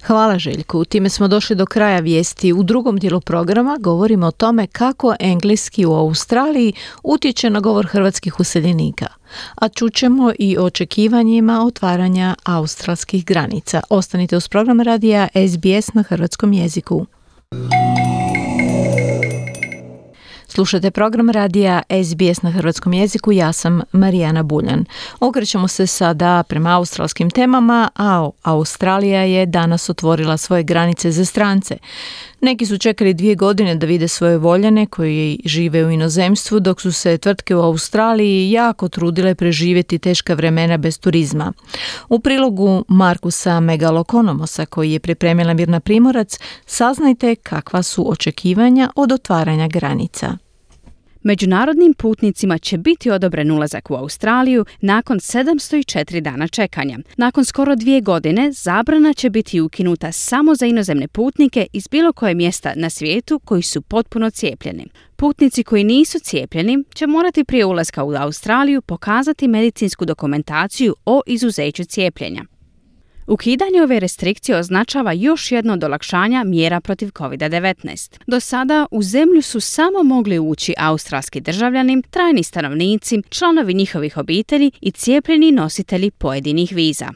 Hvala Željku. Time smo došli do kraja vijesti. U drugom dijelu programa govorimo o tome kako engleski u Australiji utječe na govor hrvatskih useljenika. A čućemo i o očekivanjima otvaranja australskih granica. Ostanite uz program radija SBS na hrvatskom jeziku. Slušajte program radija SBS na hrvatskom jeziku, ja sam Marijana Buljan. Okrećemo se sada prema australskim temama, a Australija je danas otvorila svoje granice za strance. Neki su čekali 2 godine da vide svoje voljene koji žive u inozemstvu, dok su se tvrtke u Australiji jako trudile preživjeti teška vremena bez turizma. U prilogu Markusa Megalokonomosa, koji je pripremila Mirna Primorac, saznajte kakva su očekivanja od otvaranja granica. Međunarodnim putnicima će biti odobren ulazak u Australiju nakon 704 dana čekanja. Nakon skoro 2 godine zabrana će biti ukinuta samo za inozemne putnike iz bilo koje mjesta na svijetu koji su potpuno cijepljeni. Putnici koji nisu cijepljeni će morati prije ulaska u Australiju pokazati medicinsku dokumentaciju o izuzeću cijepljenja. Ukidanje ove restrikcije označava još jedno od olakšanja mjera protiv COVID-19. Do sada u zemlju su samo mogli ući australski državljani, trajni stanovnici, članovi njihovih obitelji i cijepljeni nositelji pojedinih viza.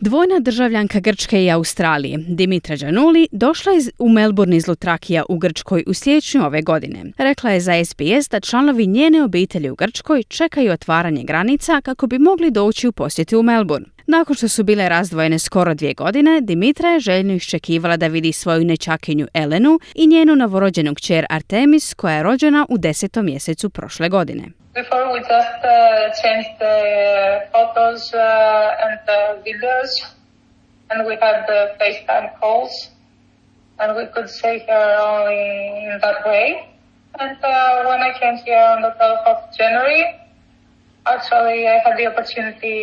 Dvojna državljanka Grčke i Australije, Dimitra Giannulli, došla je u Melbourne iz Lutrakija u Grčkoj u siječnju ove godine. Rekla je za SBS da članovi njene obitelji u Grčkoj čekaju otvaranje granica kako bi mogli doći u posjetu u Melbourne. Nakon što su bile razdvojene skoro 2 godine, Dimitra je željno iščekivala da vidi svoju nečakinju Elenu i njenu novorođenu kćer Artemis, koja je rođena u 10. mjesecu prošle godine. Before we just changed the photos and the videos, and we had the FaceTime calls, and we could see her only in that way. And when I came here on the 12th of January, actually I had the opportunity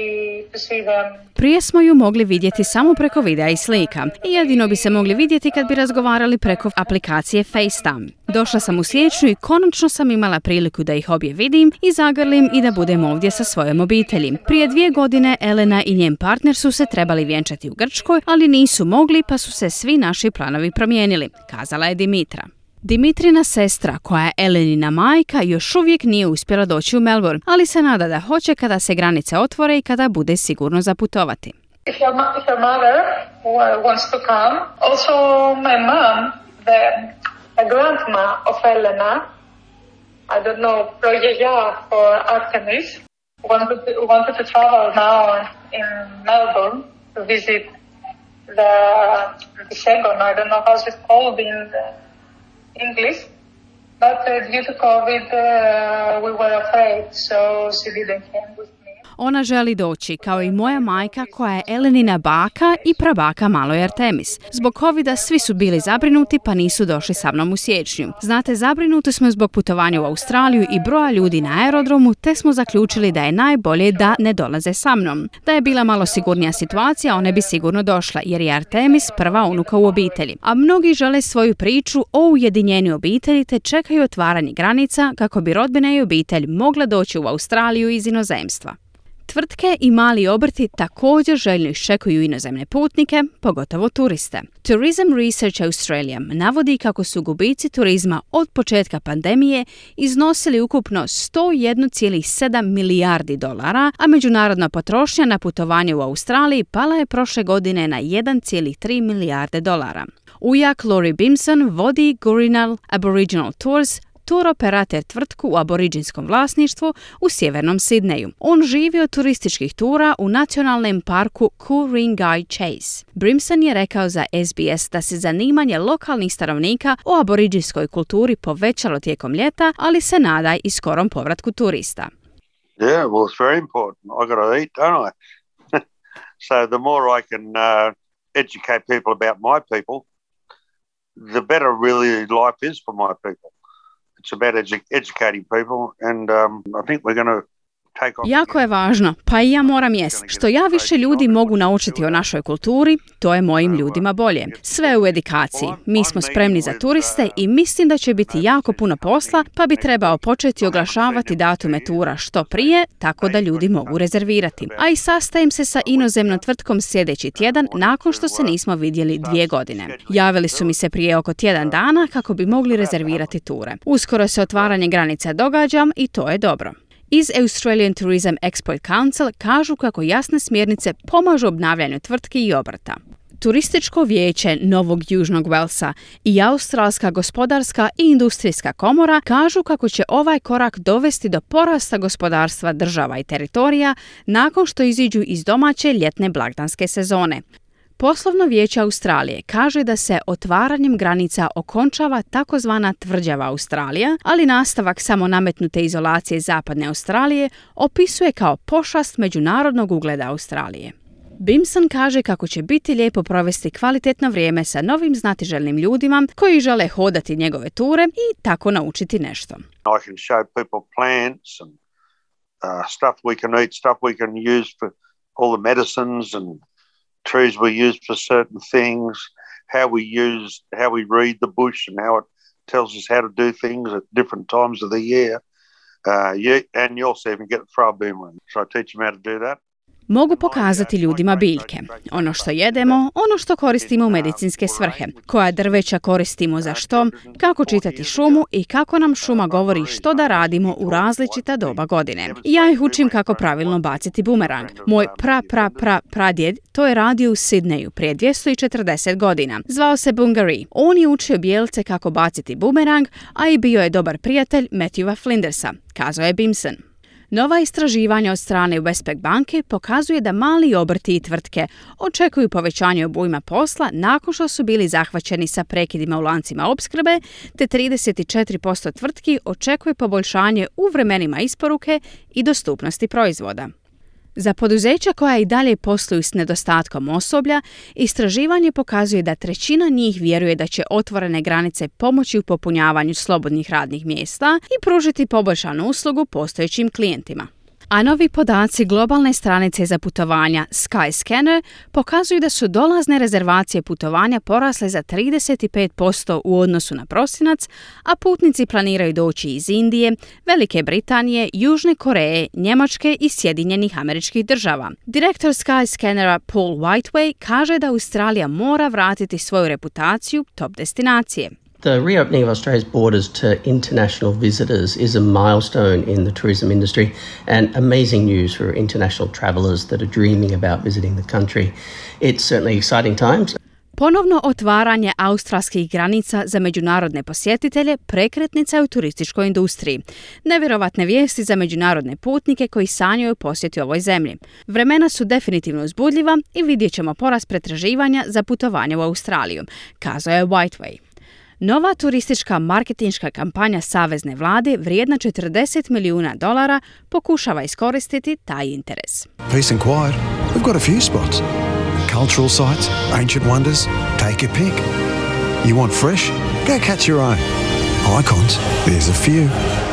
to see them. Prije smo ju mogli vidjeti samo preko videa i slika i jedino bi se mogli vidjeti kad bi razgovarali preko aplikacije FaceTime. Došla sam u siječnju i konačno sam imala priliku da ih obje vidim i zagrlim i da budem ovdje sa svojom obitelji. Prije 2 godine Elena i njen partner su se trebali vjenčati u Grčkoj, ali nisu mogli pa su se svi naši planovi promijenili, kazala je Dimitra. Dimitrina sestra, koja je Elenina majka, još uvijek nije uspjela doći u Melbourne, ali se nada da hoće kada se granice otvore i kada bude sigurno za putovati. If your mother wants to come, also my mom, the grandma of Elena, I don't know, Proyeya or Artemis, wanted to travel now in Melbourne to visit the Segon, I don't know how it's called in English, but due to COVID we were afraid, so she didn't come with me. Ona želi doći, kao i moja majka koja je Elenina baka i prabaka maloj Artemis. Zbog covida svi su bili zabrinuti pa nisu došli sa mnom u siječnju. Znate, zabrinuti smo zbog putovanja u Australiju i broja ljudi na aerodromu, te smo zaključili da je najbolje da ne dolaze sa mnom. Da je bila malo sigurnija situacija, one bi sigurno došla, jer je Artemis prva unuka u obitelji. A mnogi žele svoju priču o ujedinjenju obitelji te čekaju otvaranje granica kako bi rodbina i obitelj mogla doći u Australiju iz inozemstva. Tvrtke i mali obrti također željno iščekuju inozemne putnike, pogotovo turiste. Tourism Research Australia navodi kako su gubici turizma od početka pandemije iznosili ukupno 101,7 milijardi dolara, a međunarodna potrošnja na putovanje u Australiji pala je prošle godine na 1,3 milijarde dolara. Ujak Laurie Bimson vodi Gurinal Aboriginal Tours, tur operator tvrtku u aboriđinskom vlasništvu u sjevernom Sidneju. On živi od turističkih tura u nacionalnom parku Ku-ring-gai Chase. Brimson je rekao za SBS da se zanimanje lokalnih stanovnika o aboriđinskoj kulturi povećalo tijekom ljeta, ali se nada i skorom povratku turista. Yeah, well, it's very important. I got to eat, don't I? So the more I can educate people about my people, the better really life is for my people. It's about educating people, and I think we're going to take on. Jako je važno, pa i ja moram jest. Što ja više ljudi mogu naučiti o našoj kulturi, to je mojim ljudima bolje. Sve u edukaciji. Mi smo spremni za turiste i mislim da će biti jako puno posla, pa bi trebao početi oglašavati datume tura što prije, tako da ljudi mogu rezervirati. A i sastajem se sa inozemnom tvrtkom sljedeći tjedan nakon što se nismo vidjeli 2 godine. Javili su mi se prije oko tjedan dana kako bi mogli rezervirati ture. Uskoro se otvaranje granica događa i to je dobro. Iz Australian Tourism Export Council kažu kako jasne smjernice pomažu obnavljanju tvrtki i obrta. Turističko vijeće Novog Južnog Velsa i Australska gospodarska i industrijska komora kažu kako će ovaj korak dovesti do porasta gospodarstva država i teritorija nakon što iziđu iz domaće ljetne blagdanske sezone. Poslovno vijeće Australije kaže da se otvaranjem granica okončava takozvana tvrđava Australija, ali nastavak samo nametnute izolacije zapadne Australije opisuje kao pošast međunarodnog ugleda Australije. Bimson kaže kako će biti lijepo provesti kvalitetno vrijeme sa novim znatiželjnim ljudima koji žele hodati njegove ture i tako naučiti nešto. I can show people plants and stuff we can eat, stuff we can use for all the medicines and trees we use for certain things, how we read the bush and how it tells us how to do things at different times of the year. And you also even get to throw a boomerang. So I teach them how to do that. Mogu pokazati ljudima biljke, ono što jedemo, ono što koristimo u medicinske svrhe, koja drveća koristimo za što, kako čitati šumu i kako nam šuma govori što da radimo u različita doba godine. Ja ih učim kako pravilno baciti bumerang. Moj pradjed to je radio u Sidneju prije 240 godina. Zvao se Bungaree. On je učio bijelce kako baciti bumerang, a i bio je dobar prijatelj Matthewa Flindersa, kazao je Bimson. Nova istraživanja od strane Westpac banke pokazuje da mali obrti i tvrtke očekuju povećanje obujma posla nakon što su bili zahvaćeni sa prekidima u lancima opskrbe, te 34% tvrtki očekuje poboljšanje u vremenima isporuke i dostupnosti proizvoda. Za poduzeća koja i dalje posluju s nedostatkom osoblja, istraživanje pokazuje da 1/3 njih vjeruje da će otvorene granice pomoći u popunjavanju slobodnih radnih mjesta i pružiti poboljšanu uslugu postojećim klijentima. A novi podaci globalne stranice za putovanja Skyscanner pokazuju da su dolazne rezervacije putovanja porasle za 35% u odnosu na prosinac, a putnici planiraju doći iz Indije, Velike Britanije, Južne Koreje, Njemačke i Sjedinjenih Američkih Država. Direktor Skyscannera Paul Whiteway kaže da Australija mora vratiti svoju reputaciju top destinacije. The reopening of Australia's borders to international visitors is a milestone in the tourism industry and amazing news for international travellers that are dreaming about visiting the country. It's certainly exciting times. Ponovno otvaranje australskih granica za međunarodne posjetitelje prekretnica je u turističkoj industriji. Nevjerovatne vijesti za međunarodne putnike koji sanjaju posjeti ovoj zemlji. Vremena su definitivno uzbudljiva i vidjet ćemo porast pretraživanja za putovanje u Australiju, kazao je Whiteway. Nova turistička marketinška kampanja savezne vlade vrijedna $40 milijuna pokušava iskoristiti taj interes. Peace and quiet. We've got a few spots. Cultural sites, ancient wonders, take your pick. You want fresh? Go catch your own. Icons, there's a few.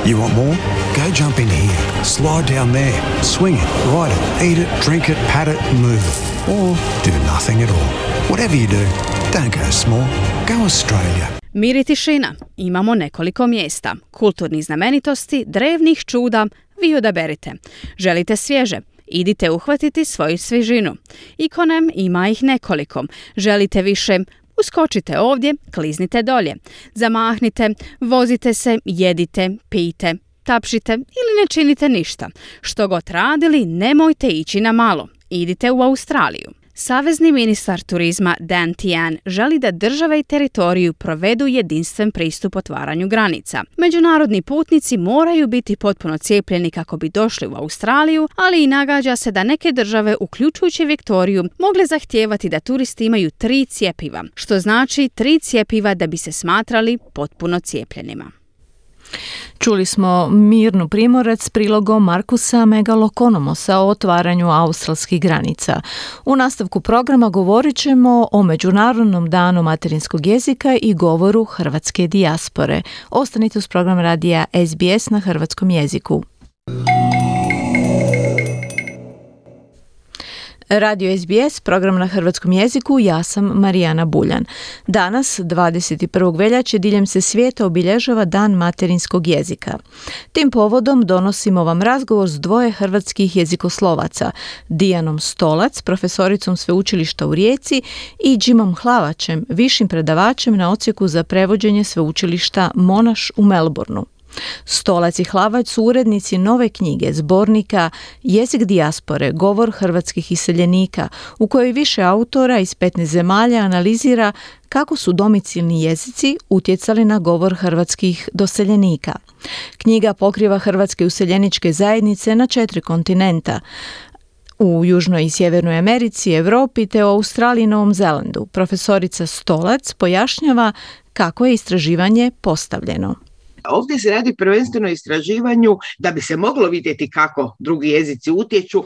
You want more? Go jump in here, slide down there, swing it, ride it, eat it, drink it, pat it, move it. Or do nothing at all. Whatever you do, don't go small. Go Australia. Mir i tišina. Imamo nekoliko mjesta. Kulturnih znamenitosti, drevnih čuda, vi odaberite. Želite svježe? Idite uhvatiti svoju svježinu. Ikonem ima ih nekoliko. Želite više? Uskočite ovdje, kliznite dolje. Zamahnite, vozite se, jedite, pijte, tapšite ili ne činite ništa. Što god radili, nemojte ići na malo. Idite u Australiju. Savezni ministar turizma Dan Tehan želi da države i teritoriju provedu jedinstven pristup otvaranju granica. Međunarodni putnici moraju biti potpuno cijepljeni kako bi došli u Australiju, ali i nagađa se da neke države, uključujući Viktoriju, mogle zahtijevati da turisti imaju 3 cjepiva, što znači 3 cjepiva da bi se smatrali potpuno cijepljenima. Čuli smo Mirnu Primorac s prilogom Markusa Megalokonomosa o otvaranju australskih granica. U nastavku programa govorit ćemo o Međunarodnom danu materinskog jezika i govoru hrvatske dijaspore. Ostanite uz program radija SBS na hrvatskom jeziku. Radio SBS, program na hrvatskom jeziku, ja sam Marijana Buljan. Danas, 21. veljače, diljem se svijeta obilježava Dan materinskog jezika. Tim povodom donosimo vam razgovor s 2 hrvatskih jezikoslovaca, Dijanom Stolac, profesoricom sveučilišta u Rijeci, i Jimom Hlavačem, višim predavačem na odsjeku za prevođenje sveučilišta Monash u Melbourneu. Stolac i Hlavać su urednici nove knjige, zbornika Jezik dijaspore, govor hrvatskih iseljenika, u kojoj više autora iz 15 zemalja analizira kako su domicilni jezici utjecali na govor hrvatskih doseljenika. Knjiga pokriva hrvatske useljeničke zajednice na 4 kontinenta, u Južnoj i Sjevernoj Americi, Europi te u Australiji i Novom Zelandu. Profesorica Stolac pojašnjava kako je istraživanje postavljeno. Ovdje se radi prvenstveno o istraživanju da bi se moglo vidjeti kako drugi jezici utječu,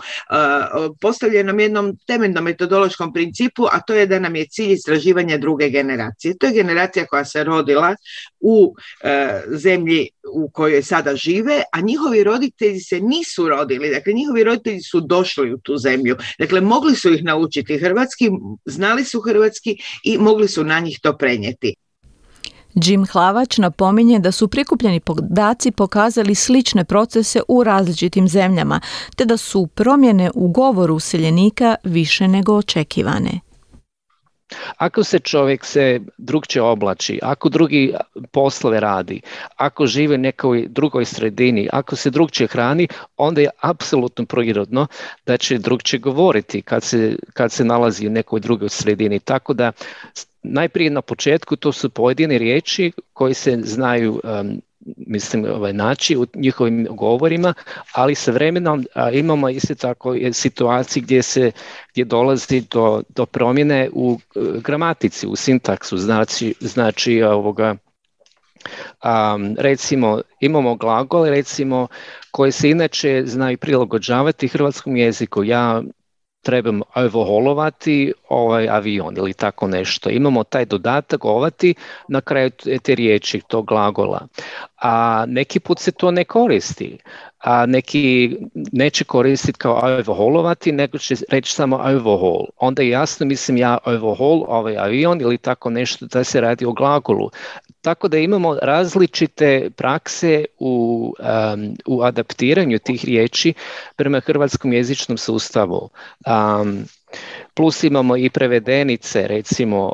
postavljenom jednom temeljnom metodološkom principu, a to je da nam je cilj istraživanja druge generacije. To je generacija koja se rodila u zemlji u kojoj sada žive, a njihovi roditelji se nisu rodili. Dakle, njihovi roditelji su došli u tu zemlju. Dakle, mogli su ih naučiti hrvatski, znali su hrvatski i mogli su na njih to prenijeti. Jim Hlavač napominje da su prikupljeni podaci pokazali slične procese u različitim zemljama, te da su promjene u govoru useljenika više nego očekivane. Ako se čovjek se drugčije oblači, ako drugi poslove radi, ako živi u nekoj drugoj sredini, ako se drugčije hrani, onda je apsolutno prirodno da će drugčije govoriti kad se nalazi u nekoj drugoj sredini. Tako da najprije na početku to su pojedine riječi koje se znaju naći u njihovim govorima, ali sa vremenom imamo isto tako situacije gdje dolazi do promjene u gramatici, u sintaksu, znači recimo imamo glagole recimo koje se inače znaju prilagođavati hrvatskom jeziku. Ja trebam overholovati avion ili tako nešto. Imamo taj dodatak ovati na kraju te riječi, tog glagola. A neki put se to ne koristi. A neki neće koristiti kao overholovati, nego će reći samo overhaul. Onda je jasno, ja overhaul avion ili tako nešto da se radi o glagolu. Tako da imamo različite prakse u adaptiranju tih riječi prema hrvatskom jezičnom sustavu. Plus imamo i prevedenice, recimo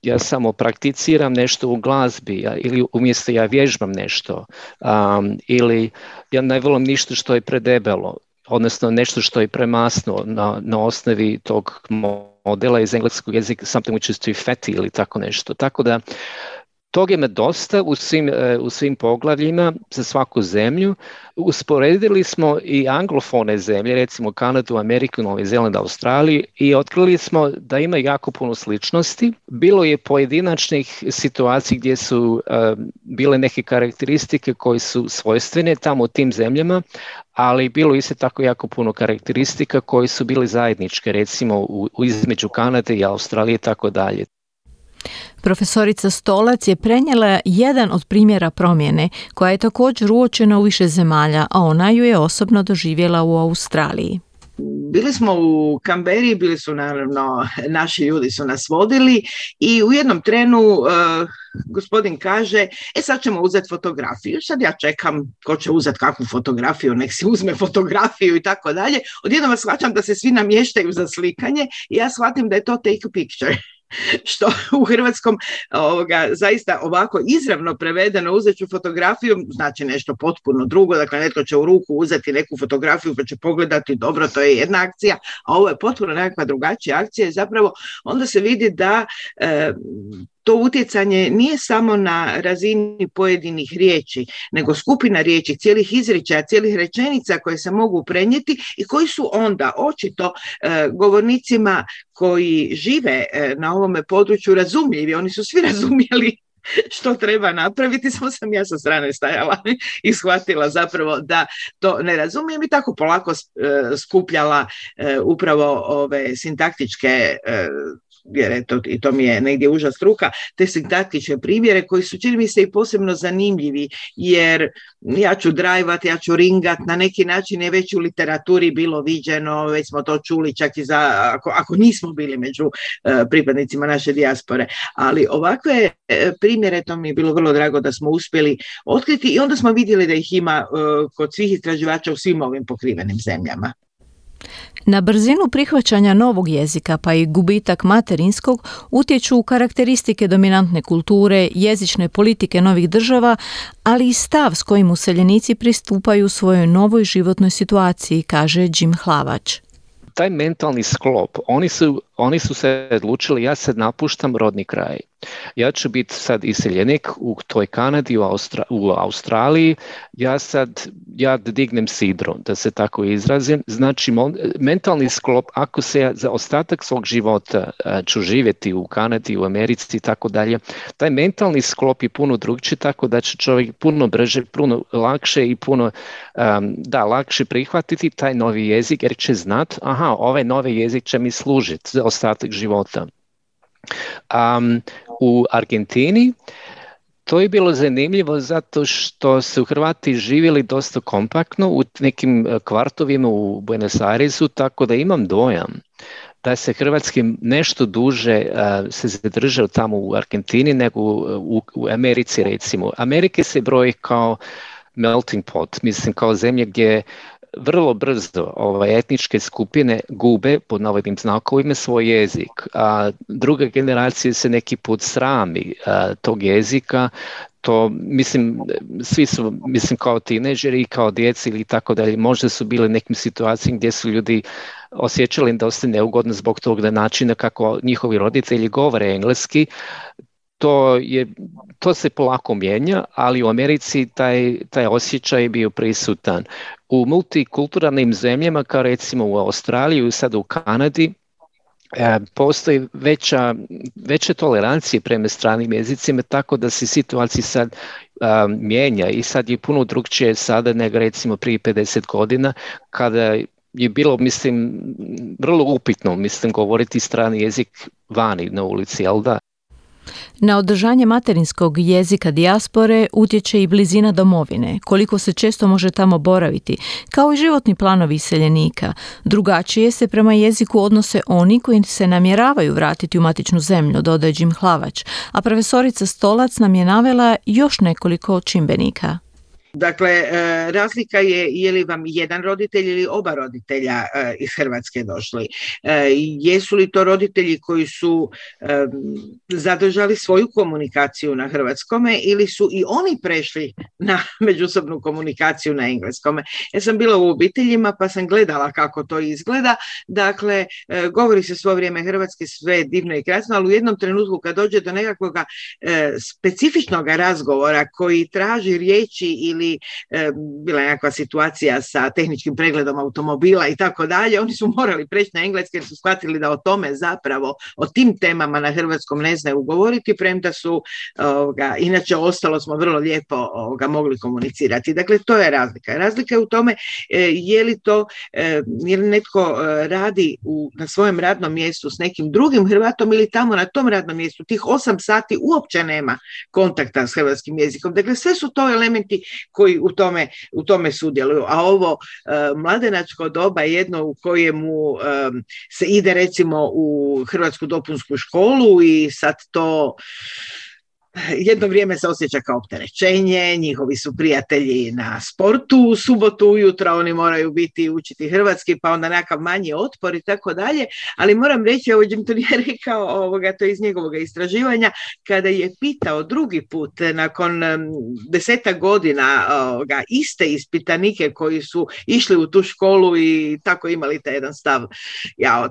ja samo prakticiram nešto u glazbi ili umjesto ja vježbam nešto ili ja ne volim ništa što je predebelo, odnosno nešto što je premasno na osnovi tog modela iz engleskog jezika, something which is too fatty ili tako nešto. Tako da toga ima dosta u svim poglavljima za svaku zemlju. Usporedili smo i anglofone zemlje, recimo Kanadu, Ameriku, Novi Zeland, Australiju i otkrili smo da ima jako puno sličnosti. Bilo je pojedinačnih situacija gdje su bile neke karakteristike koje su svojstvene tamo u tim zemljama, ali bilo isto tako jako puno karakteristika koje su bile zajedničke, recimo između Kanade i Australije i tako dalje. Profesorica Stolac je prenijela jedan od primjera promjene koja je također uočena u više zemalja, a ona ju je osobno doživjela u Australiji. Bili smo u Kamberi, bili su naravno, naši ljudi su nas vodili i u jednom trenu gospodin kaže, sad ćemo uzeti fotografiju. Sad ja čekam ko će uzeti kakvu fotografiju, nek si uzme fotografiju i tako dalje. Odjednom shvaćam da se svi namještaju za slikanje i ja shvatim da je to take a picture. Što u hrvatskom zaista ovako izravno prevedeno uzet ću fotografiju znači nešto potpuno drugo, dakle netko će u ruku uzeti neku fotografiju pa će pogledati, dobro, to je jedna akcija, a ovo je potpuno nekakva drugačija akcija i zapravo onda se vidi da to utjecanje nije samo na razini pojedinih riječi, nego skupina riječi, cijelih izričaja, cijelih rečenica koje se mogu prenijeti i koji su onda očito govornicima koji žive na ovome području razumljivi. Oni su svi razumjeli što treba napraviti, samo sam ja sa strane stajala i shvatila zapravo da to ne razumijem i tako polako skupljala upravo ove sintaktičke jer eto, i to mi je negdje užas struka, te sintaktične primjere koji su, čini mi se, i posebno zanimljivi, jer ja ću drajvat, ja ću ringat, na neki način je već u literaturi bilo viđeno, već smo to čuli čak i ako nismo bili među pripadnicima naše dijaspore, ali ovakve primjere, to mi je bilo vrlo drago da smo uspjeli otkriti i onda smo vidjeli da ih ima kod svih istraživača u svim ovim pokrivenim zemljama. Na brzinu prihvaćanja novog jezika pa i gubitak materinskog utječu karakteristike dominantne kulture, jezične politike novih država, ali i stav s kojim useljenici pristupaju svojoj novoj životnoj situaciji, kaže Jim Hlavač. Taj mentalni sklop, oni su se odlučili, ja sad napuštam rodni kraj. Ja ću biti sad iseljenik u toj Kanadi, u Australiji, ja dignem sidro, da se tako izrazim. Znači, mentalni sklop, ako se za ostatak svog života ću živjeti u Kanadi, u Americi i tako dalje, taj mentalni sklop je puno drugčiji, tako da će čovjek puno brže, puno lakše i puno lakše prihvatiti taj novi jezik, jer će znati, ovaj novi jezik će mi služiti za ostatak života. U Argentini to je bilo zanimljivo zato što su Hrvati živjeli dosta kompaktno u nekim kvartovima u Buenos Airesu, tako da imam dojam da se hrvatski nešto duže se zadržao tamo u Argentini nego u Americi recimo. Amerike se broji kao melting pot, mislim kao zemlje gdje vrlo brzo etničke skupine gube pod navodnim znakovima svoj jezik, a druga generacija se neki put srami tog jezika. To mislim, svi su kao tineđeri i kao djeci ili tako dalje, možda su bili nekim situacijama gdje su ljudi osjećali da ostaje neugodno zbog tog načina kako njihovi roditelji govore engleski. To se polako mijenja, ali u Americi taj osjećaj je bio prisutan. U multikulturalnim zemljama, kao recimo u Australiji i sad u Kanadi, postoji veća tolerancija prema stranim jezicima, tako da se situacija sad mijenja i sad je puno drukčije sada nego recimo prije 50 godina kada je bilo, mislim, vrlo upitno, govoriti strani jezik vani na ulici, jel da? Na održanje materinskog jezika dijaspore utječe i blizina domovine, koliko se često može tamo boraviti, kao i životni planovi iseljenika. Drugačije se prema jeziku odnose oni koji se namjeravaju vratiti u matičnu zemlju, dodaje Jim Hlavač, a profesorica Stolac nam je navela još nekoliko čimbenika. Dakle, razlika je li vam jedan roditelj ili oba roditelja iz Hrvatske došli. Jesu li to roditelji koji su zadržali svoju komunikaciju na hrvatskome ili su i oni prešli na međusobnu komunikaciju na engleskome. Ja sam bila u obiteljima pa sam gledala kako to izgleda. Dakle, govori se svo vrijeme hrvatski, sve divno i krasno, ali u jednom trenutku kad dođe do nekakvog specifičnog razgovora koji traži riječi ili bila je nekakva situacija sa tehničkim pregledom automobila i tako dalje, oni su morali preći na engleski jer su shvatili da o tome zapravo, o tim temama na hrvatskom ne znaju govoriti, premda su, inače ostalo smo vrlo lijepo mogli komunicirati. Dakle, to je razlika. Razlika je u tome je li netko radi na svojem radnom mjestu s nekim drugim Hrvatom ili tamo na tom radnom mjestu tih 8 sati uopće nema kontakta s hrvatskim jezikom. Dakle, sve su to elementi koji u tome sudjeluju. A ovo mladenačko doba je jedno u kojemu se ide recimo u hrvatsku dopunsku školu i sad to jedno vrijeme se osjeća kao opterećenje, njihovi su prijatelji na sportu u subotu ujutro, oni moraju biti učiti hrvatski, pa onda nekakav manji otpor i tako dalje, ali moram reći, ovo Jim to nije rekao, to je iz njegovog istraživanja, kada je pitao drugi put, nakon 10 godina, iste ispitanike koji su išli u tu školu i tako imali taj jedan stav,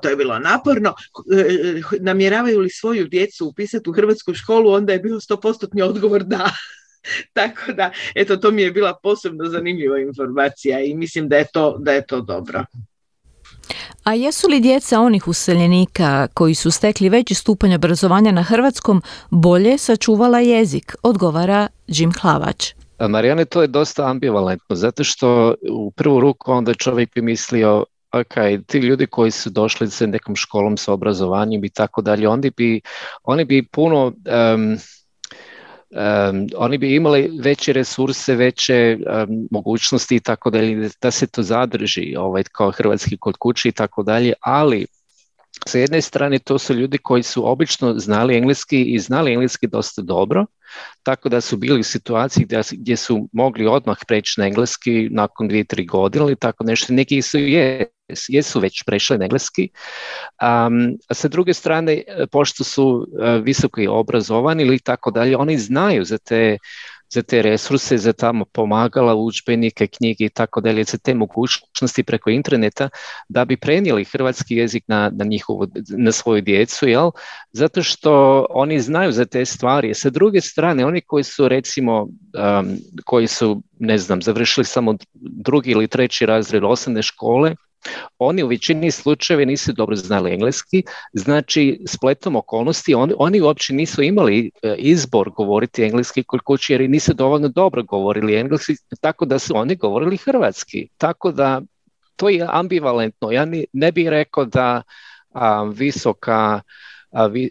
to je bilo naporno, namjeravaju li svoju djecu upisati u hrvatsku školu, onda je bilo 100% odgovor da. Tako da, to mi je bila posebno zanimljiva informacija i mislim da je to dobro. A jesu li djeca onih useljenika koji su stekli veći stupanj obrazovanja na hrvatskom bolje sačuvala jezik, odgovara Jim Hlavač. Marijane, to je dosta ambivalentno, zato što u prvu ruku onda čovjek bi mislio ti ljudi koji su došli sa nekom školom sa obrazovanjem i tako dalje, oni bi puno oni bi imali veće resurse, veće mogućnosti i tako dalje, da se to zadrži kao hrvatski kod kuće i tako dalje, ali sa jedne strane to su ljudi koji su obično znali engleski dosta dobro, tako da su bili u situaciji gdje su mogli odmah preći na engleski nakon 2-3 godine ili tako nešto. Neki su jesu već prešli na engleski. A sa druge strane, pošto su visoko obrazovani ili tako dalje, oni znaju za te resurse, za tamo pomagala, udžbenike, knjige i tako dalje, za te mogućnosti preko interneta da bi prenijeli hrvatski jezik na svoju djecu, zato što oni znaju za te stvari. Sa druge strane, oni koji su recimo, završili samo 2. ili 3. razred osnovne škole, oni u većini slučajeva nisu dobro znali engleski, znači spletom okolnosti oni uopće nisu imali izbor govoriti engleski kod kuće jer nisu dovoljno dobro govorili engleski, tako da su oni govorili hrvatski. Tako da to je ambivalentno. Ja ne bih rekao da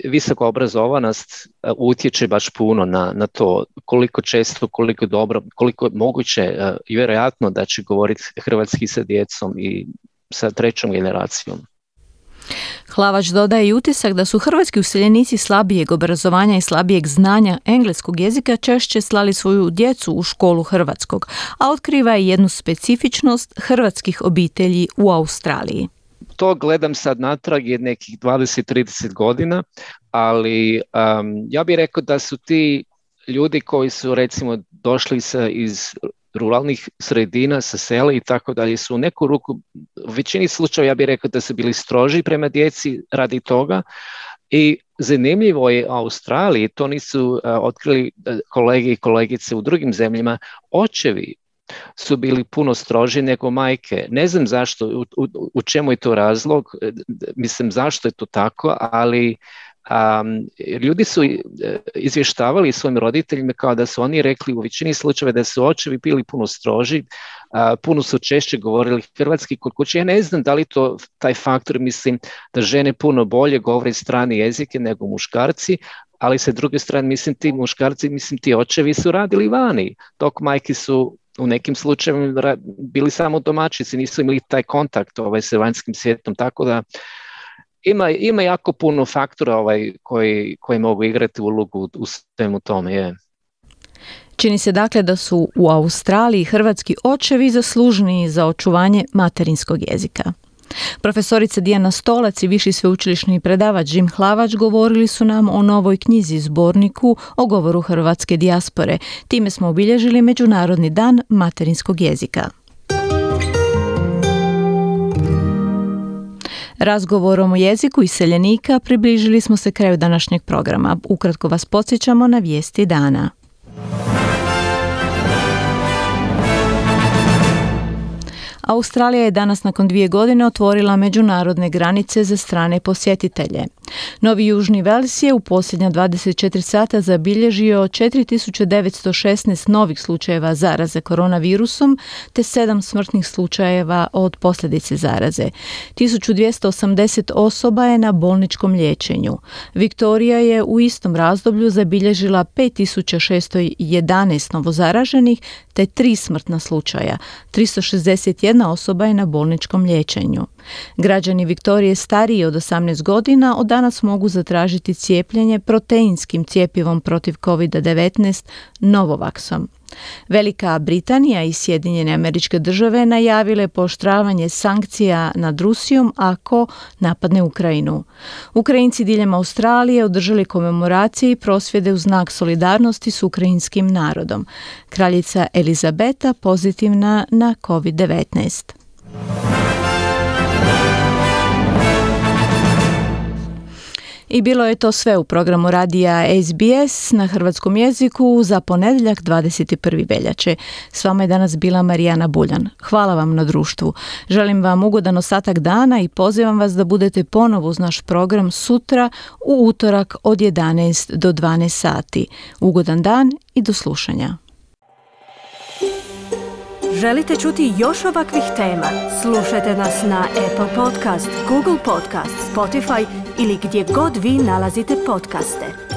visoka obrazovanost utječe baš puno na to koliko često, koliko dobro, koliko je moguće i vjerojatno da će govoriti hrvatski sa djecom i sa 3. generacijom. Hlavač dodaje i utisak da su hrvatski useljenici slabijeg obrazovanja i slabijeg znanja engleskog jezika češće slali svoju djecu u školu hrvatskog, a otkriva i jednu specifičnost hrvatskih obitelji u Australiji. To gledam sad natrag je nekih 20-30 godina, ali ja bih rekao da su ti ljudi koji su recimo došli iz ruralnih sredina, sa sela i tako dalje, su u neku ruku, u većini slučajeva ja bih rekao da su bili stroži prema djeci radi toga. I zanimljivo je u Australiji, to nisu otkrili kolege i kolegice u drugim zemljama, očevi su bili puno stroži nego majke. Ne znam zašto, u čemu je to razlog, mislim zašto je to tako, ali ljudi su izvještavali svojim roditeljima kao da su oni rekli u većini slučajeva da su očevi bili puno stroži, puno su češće govorili hrvatski kod kuće. Ja ne znam da li to taj faktor, mislim da žene puno bolje govore strane jezike nego muškarci, ali sa druge strane mislim ti muškarci, mislim ti očevi su radili vani, dok majke su u nekim slučajevima bili samo domaćici, nisu imali taj kontakt sa vanjskim svijetom, tako da ima jako puno faktora koji mogu igrati ulogu u svemu tome. Je. Čini se dakle da su u Australiji hrvatski očevi zaslužniji za očuvanje materinskog jezika. Profesorica Dijana Stolac i viši sveučilišni predavač Jim Hlavač govorili su nam o novoj knjizi zborniku o govoru hrvatske dijaspore. Time smo obilježili Međunarodni dan materinskog jezika. Razgovorom o jeziku iseljenika približili smo se kraju današnjeg programa. Ukratko vas podsjećamo na vijesti dana. Australija je danas nakon 2 godine otvorila međunarodne granice za strane posjetitelje. Novi Južni Vels je u posljednja 24 sata zabilježio 4916 novih slučajeva zaraze koronavirusom te 7 smrtnih slučajeva od posljedice zaraze. 1280 osoba je na bolničkom liječenju. Viktorija je u istom razdoblju zabilježila 5611 novozaraženih te 3 smrtna slučaja. 361 osoba je na bolničkom liječenju. Građani Viktorije stariji od 18 godina od danas mogu zatražiti cijepljenje proteinskim cjepivom protiv COVID-19 Novovaksom. Velika Britanija i Sjedinjene Američke Države najavile pooštravanje sankcija nad Rusijom ako napadne Ukrajinu. Ukrajinci diljem Australije održali komemoracije i prosvjede u znak solidarnosti s ukrajinskim narodom. Kraljica Elizabeta pozitivna na COVID-19. I bilo je to sve u programu radija SBS na hrvatskom jeziku za ponedjeljak 21. veljače. S vama je danas bila Marijana Buljan. Hvala vam na društvu. Želim vam ugodan ostatak dana i pozivam vas da budete ponovo uz naš program sutra u utorak od 11 do 12 sati. Ugodan dan i do slušanja. Želite čuti još ovakvih tema? Slušajte nas na Apple Podcast, Google Podcast, Spotify ili gdje god vi nalazite podcaste.